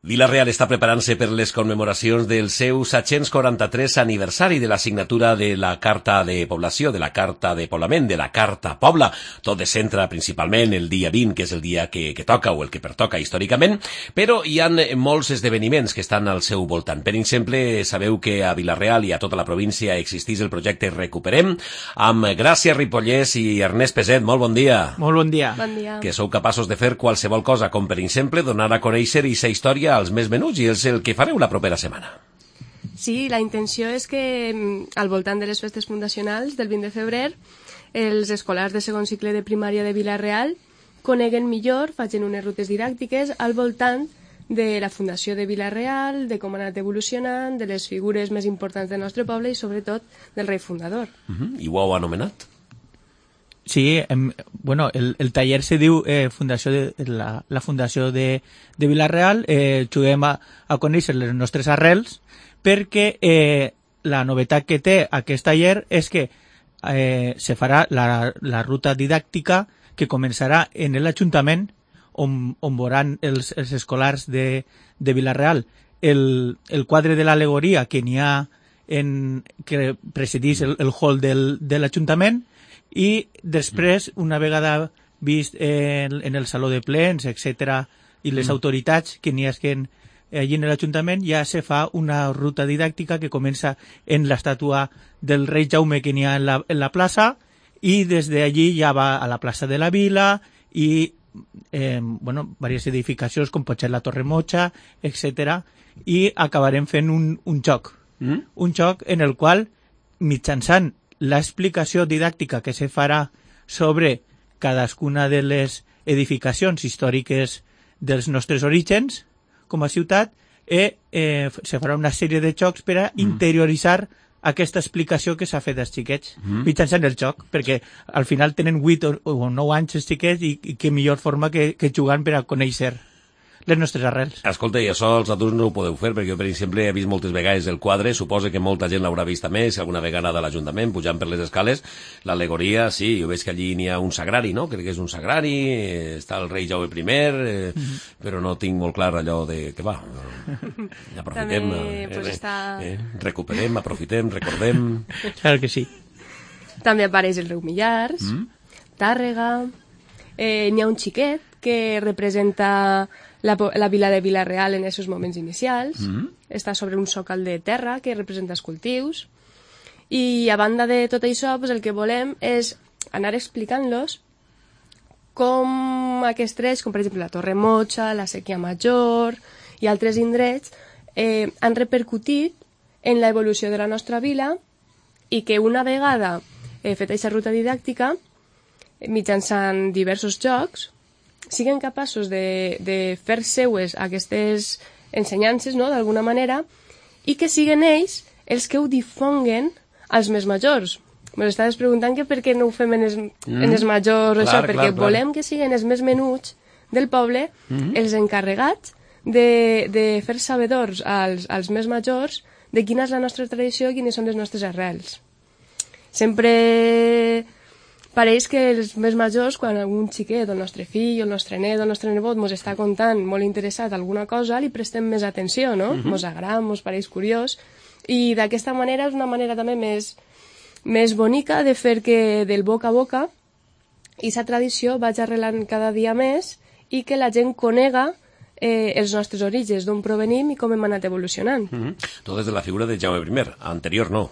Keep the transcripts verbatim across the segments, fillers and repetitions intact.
Vila-real està preparant-se per les commemoracions del seu set-cents quaranta-tres aniversari de la signatura de la Carta de Població, de la Carta de Poblament, de la Carta Pobla. Tot es centra principalment el dia vint, que és el dia que, que toca o el que pertoca històricament, però hi ha molts esdeveniments que estan al seu voltant. Per exemple, sabeu que a Vila-real i a tota la província existeix el projecte Recuperem, amb Gràcia Ripollès i Ernest Peset. Molt bon dia. Molt bon dia. Bon dia. Que sou capaços de fer qualsevol cosa, com per exemple donar a conèixer aquesta història als més menuts, i és el que fareu la propera setmana. Sí, la intenció és que al voltant de les festes fundacionals del vint de febrer els escolars de segon cicle de primària de Vila-real coneguen millor, facin unes rutes didàctiques al voltant de la fundació de Vila-real, de com ha anat evolucionant, de les figures més importants del nostre poble i sobretot del rei fundador. Uh-huh. I ho heu anomenat? Sí, em, bueno, el, el taller se diu eh, fundació de, la, la Fundació de, de Vila-real. Eh, juguem a, a conèixer les nostres arrels perquè eh, la novetat que té aquest taller és que eh, se farà la, la ruta didàctica que començarà en l'Ajuntament on, on veuran els, els escolars de, de Vila-real el, el quadre de l'al·legoria que n'hi ha en, que presideix el, el hall del, de l'Ajuntament. I després, una vegada vist en, en el saló de plens, etcètera, i les mm. autoritats que n'hi esquen allí en l'Ajuntament, ja se fa una ruta didàctica que comença en l'estàtua del rei Jaume que n'hi ha en la, en la plaça, i des d'allí ja va a la plaça de la Vila i eh, bueno, diverses edificacions com pot ser la Torre Mocha, etcètera, i acabarem fent un, un joc. Mm. Un joc en el qual, mitjançant l'explicació didàctica que se farà sobre cadascuna de les edificacions històriques dels nostres orígens com a ciutat, eh, eh, se farà una sèrie de jocs per a mm. interioritzar aquesta explicació que s'ha fet als xiquets mm. mitjançant el joc, perquè al final tenen vuit o, o nou anys els xiquets i, i que millor forma que, que jugant per a conèixer les nostres arrels. Escolta, i això els adults no ho podeu fer, perquè jo, per exemple, he vist moltes vegades el quadre, suposo que molta gent l'haurà vist també, si alguna vegada de l'Ajuntament, pujant per les escales, l'al·legoria, sí, jo veig que allí n'hi ha un sagrari, no? Crec que és un sagrari, està el rei Jaume primer, eh, mm-hmm. però no tinc molt clar allò de que va, aprofitem, també, eh, pues, eh, està... eh, recuperem, aprofitem, recordem... Claro que sí. També apareix el riu Millars, mm? Tàrrega, eh, n'hi ha un xiquet que representa la, la vila de Vila-real en aquests moments inicials, mm-hmm. està sobre un sòcal de terra que representa els cultius, i a banda de tot això, pues, el que volem és anar explicant-los com aquests trets, com per exemple la Torre Mocha, la Sèquia Major i altres indrets, eh, han repercutit en l'evolució de la nostra vila i que una vegada eh, fet aquesta ruta didàctica, mitjançant diversos jocs, siguin capaços de, de fer seues aquestes ensenyances, no?, d'alguna manera, i que siguin ells els que ho difonguen als més majors. M'estaves preguntant que per què no ho fem en els, mm. en els majors, clar, això, perquè clar, volem clar. que siguin els més menuts del poble mm-hmm. els encarregats de, de fer sabedors als, als més majors de quina és la nostra tradició i quines són les nostres arrels. Sempre pareix que els més majors, quan algun xiquet, el nostre fill, el nostre net, el nostre nebot, mos està contant molt interessat alguna cosa, li prestem més atenció, no? Uh-huh. Mos agrada, mos pareix curiós, i d'aquesta manera és una manera també més, més bonica de fer que del boca a boca i sa tradició vagi arrelant cada dia més i que la gent conega eh, els nostres orígens, d'on provenim i com hem anat evolucionant. Uh-huh. Tot des de la figura de Jaume primer, anterior no.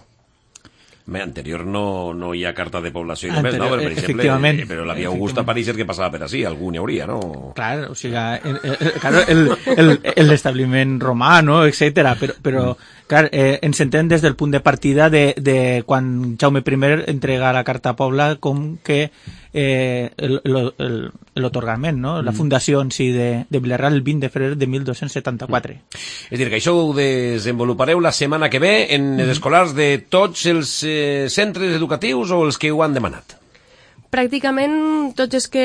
Bé, anterior no, no hi ha carta de població i només, no? Però, per exemple, eh, però la via Augusta pareix que passava per així, algú n'hi hauria, no? Clar, o sigui, el, el, el, el, l'establiment romà, no?, etcètera, però, però clar, eh, ens entén des del punt de partida de, de quan Jaume primer entrega la carta a Pobla com que eh, l'otorgament, no?, la fundació en si de, de Vila-real el vint de febrer de mil dos-cents setanta-quatre. És a dir, que això ho desenvolupareu la setmana que ve en els escolars de tots els eh, centres educatius o els que ho han demanat? Pràcticament tots els que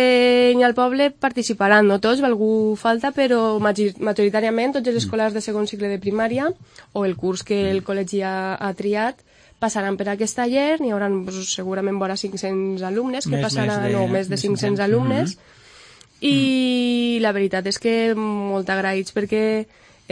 hi ha al poble participaran, no tots, algú falta, però majoritàriament tots els escolars de segon cicle de primària o el curs que el col·legi ha, ha triat passaran per aquest taller, n'hi haurà pues, segurament vora cinc-cents alumnes, que més, passaran, més de, no, més de cinc-cents alumnes, mm-hmm. i mm. la veritat és que molt agraïts perquè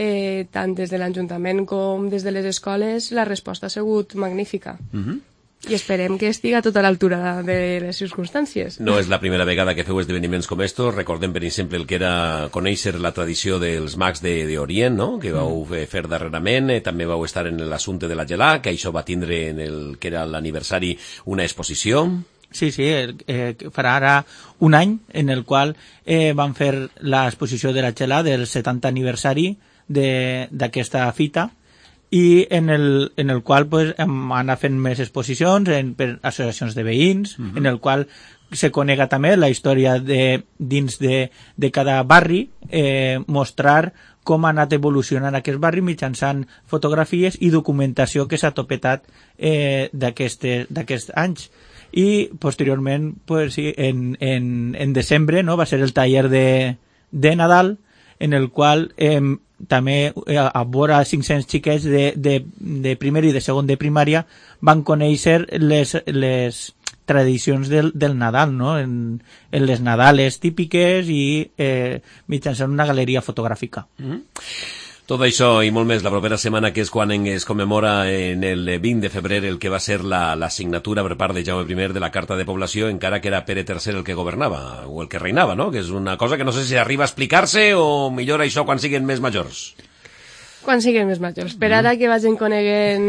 eh, tant des de l'Ajuntament com des de les escoles, la resposta ha sigut magnífica. Uh-huh. I esperem que estigui a tota l'altura de les circumstàncies. No és la primera vegada que feu esdeveniments com estos. Recordem, per exemple, el que era conèixer la tradició dels mags d'Orient, no? Que vau fer darrerament. Eh, també vau estar en l'assumpte de la gelà, que això va tindre en el que era l'aniversari una exposició. Sí, sí, eh, farà ara un any en el qual eh, van fer l'exposició de la gelà del setanta aniversari d'aquesta fita, i en el, en el qual pues, hem anat fent més exposicions en, per associacions de veïns, uh-huh. en el qual se conega també la història de, dins de, de cada barri, eh, mostrar com ha anat evolucionant aquest barri mitjançant fotografies i documentació que s'ha topetat eh, d'aquests anys. I posteriorment, pues, sí, en, en, en desembre, no, va ser el taller de, de Nadal, en el qual eh, també eh, a vora cinc-cents xiquets de, de, de primer i de segon de primària van conèixer les, les tradicions del, del Nadal, no? en, en les Nadales típiques i eh, mitjançant una galeria fotogràfica. Mm-hmm. Tot això i molt més la propera setmana, que és quan es commemora en el vint de febrer el que va ser la, la signatura per part de Jaume primer de la Carta de Població, encara que era Pere tercer el que governava, o el que reinava, no? Que és una cosa que no sé si arriba a explicar-se o millor això quan siguin més majors. Quan siguin més majors. Per ara que vagin coneguent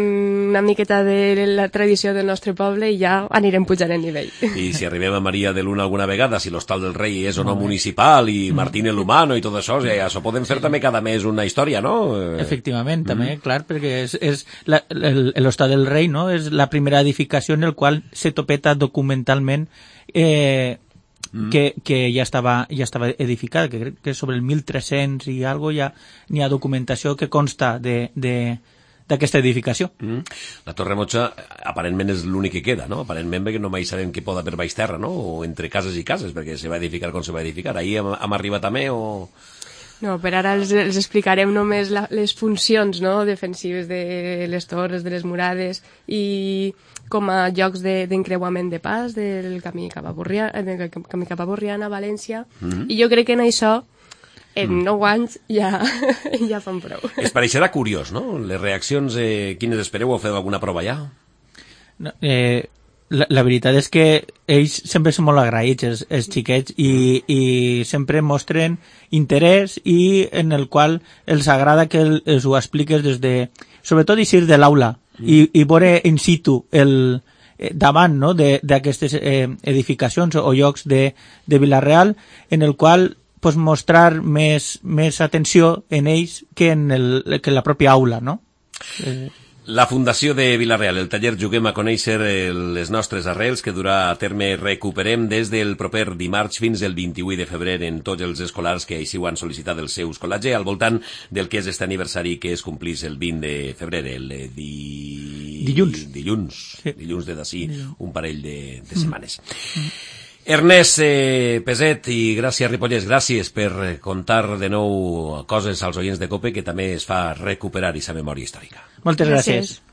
una miqueta de la tradició del nostre poble i ja anirem pujant el nivell. I si arribem a Maria de Luna alguna vegada, si l'Hostal del Rei és o no municipal i Martín el Humano i tot això, ja això podem fer també cada mes una història, no? Efectivament, també, mm. clar, perquè és, és l'Hostal del Rei, no? És la primera edificació en el qual se topeta documentalment eh, Mm. Que, que ja estava, ja estava edificada, que crec que sobre el mil tres-cents i algo ja n'hi ha documentació que consta de, de, d'aquesta edificació. Mm. La Torre Motxa aparentment és l'únic que queda, no? Aparentment perquè no mai sabem què pot haver baix terra, no? O entre cases i cases, perquè se va edificar com se va edificar. Ahir hem, hem arribat també o... No, per ara els, els explicarem només la, les funcions, no?, defensives de les torres, de les murades, i com a llocs d'encreuament de, de pas del camí cap a Borriana, del camí cap a Borriana, València, mm-hmm. i jo crec que en això, en mm. nou anys, ja, ja fan prou. Es pareixerà curiós, no? Les reaccions, eh, quines espereu? Heu fet alguna prova ja? No, eh... La, la veritat és que ells sempre són molt agraïts, els, els xiquets, i, i sempre mostren interès i en el qual els agrada que el, els ho expliques des de... Sobretot eixir de l'aula mm. i, i veure in situ el, eh, davant, no?, d'aquestes eh, edificacions o llocs de, de Vila-real, en el qual pues, mostrar més, més atenció en ells que en, el, que en la pròpia aula, no? Eh, La Fundació de Vila-real, el taller Juguem a conèixer les nostres arrels, que durà a terme Recuperem des del proper dimarts fins el vint-i-vuit de febrer en tots els escolars que així ho han sol·licitat el seu escolatge, al voltant del que és este aniversari que es complís el vint de febrer, el di... dilluns. Dilluns, sí. dilluns de d'ací un parell de, de setmanes. Mm. Ernest eh, Peset i Gràcia Ripollès, gràcies per contar de nou coses als oients de COPE, que també es fa recuperar aquesta memòria històrica. Moltes gràcies. gràcies.